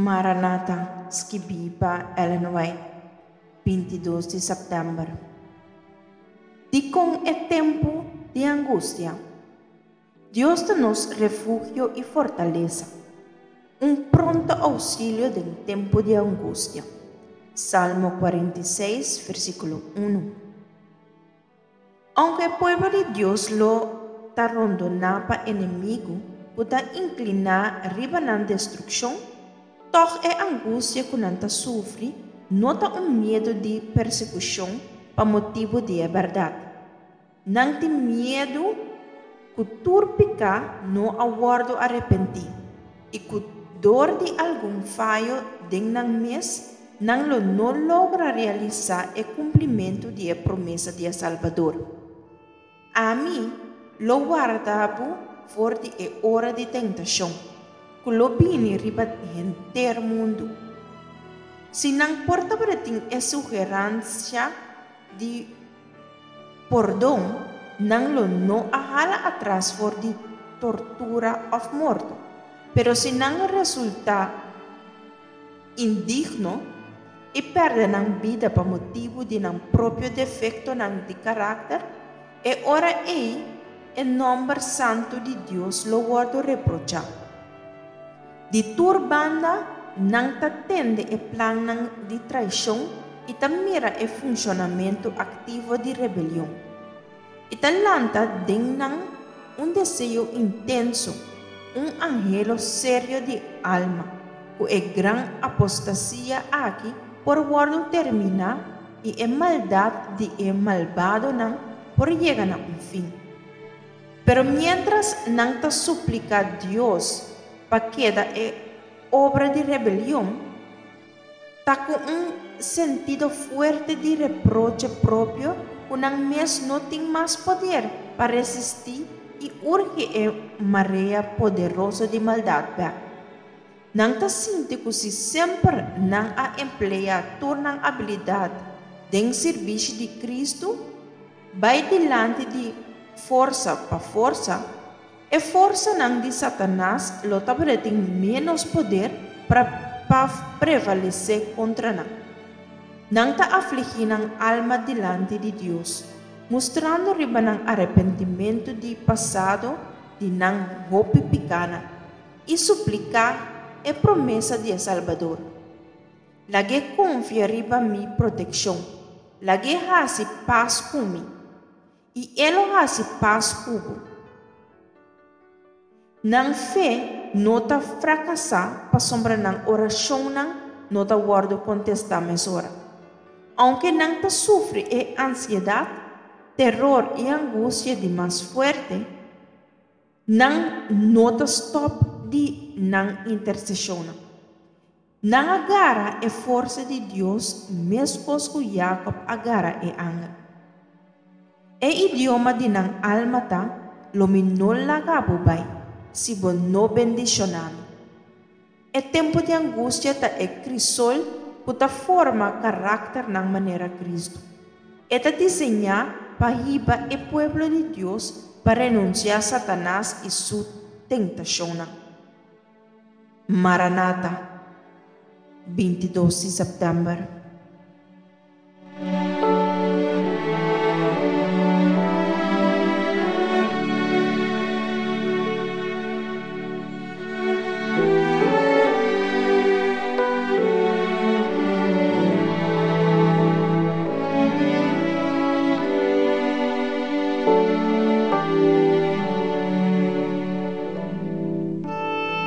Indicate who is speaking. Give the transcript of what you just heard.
Speaker 1: Maranata, skibí pa Ellen White, 22 di sèptèmber. Dikon e tempu di angustia? Dios ta nos refugio i fortalesa, un pronto ousilio den tempu di angustia. Salmo 46, versíkulo 1. Ounke e pueblo di Dios lo ta rondoná pa enemigu ku ta inkliná riba nan destrukshon, tòg e angustia ku nan ta sufri no ta un miedu di persekushon pa motibu di e bèrdat. Nan tin miedu ku tur piká no a wòrdu arepentí i ku dor di algun fayo den nan mes nan lo no logra realisá e kumplimentu di e promesa di e Salbador. Ami lo warda bo for di e ora di tentashon, ku lo bini riba henter mundu. Si nan por tabatin e sugeransia di pordon, nan lo no a hala atras for di tortura òf morto. Pero si nan resultá indigno i pèrdè nan bida pa motibu di nan propio defektonan di karakter, e ora ei e nòmber santu di Dios lo wòrdu reprochá. Di tur banda nan ta tende e plannan di traishon i ta mira e funshonamentu aktivo di rebelion. I ta lanta den nan un deseo intenso, un anhelo serio di alma, ku e gran apostasia aki por wòrdu terminá i e maldat di e malbadonan por yega na un fin. Pero miéntras nan ta supliká Dios pa keda e obra di rebelion, Ta ku un sentido fuerte di reproche propio ku nan mes no tin mas poder pa resistí i urgi e marea poderoso di maldat bèk. Nan ta sinti ku si semper nan a empleá tur nan abilidat den sirbishi di Kristu, bai dilanti di forsa pa forsa, E forsanan di Satanas lo tabatin ménos poder pa pa prevalesé kontra nan. Nan ta afligí nan alma dilanti di Dios, mustrando riba nan arepentimentu di pasado di nan hopi pikánan, i supliká e promesa di e Salbador, Lag'é konfia riba mi protekshon, lag'é hasi pas ku mi. I e lo hasi pas ku bo. Nan fe no ta frakasá pasobra nan orashonnan no ta wòrdu kontestá mesora. Ounke nan ta sufri e ansiedat, teror i angustia di mas fuerte, nan no ta stòp di nan interseshonnan. Nan a gara e forsa di Dios meskos ku Jakòb a gara e angel. E idioma di nan alma ta, Lo mi no laga bo bai, si bo no bendishoná mi. E tempu di angustia ta e krisol ku ta forma karakternan manera Kristu. E ta diseñá pa hiba e pueblo di Dios pa renunsiá Satanas i su tentashonnan. Maranata, 22 di sèptèmber.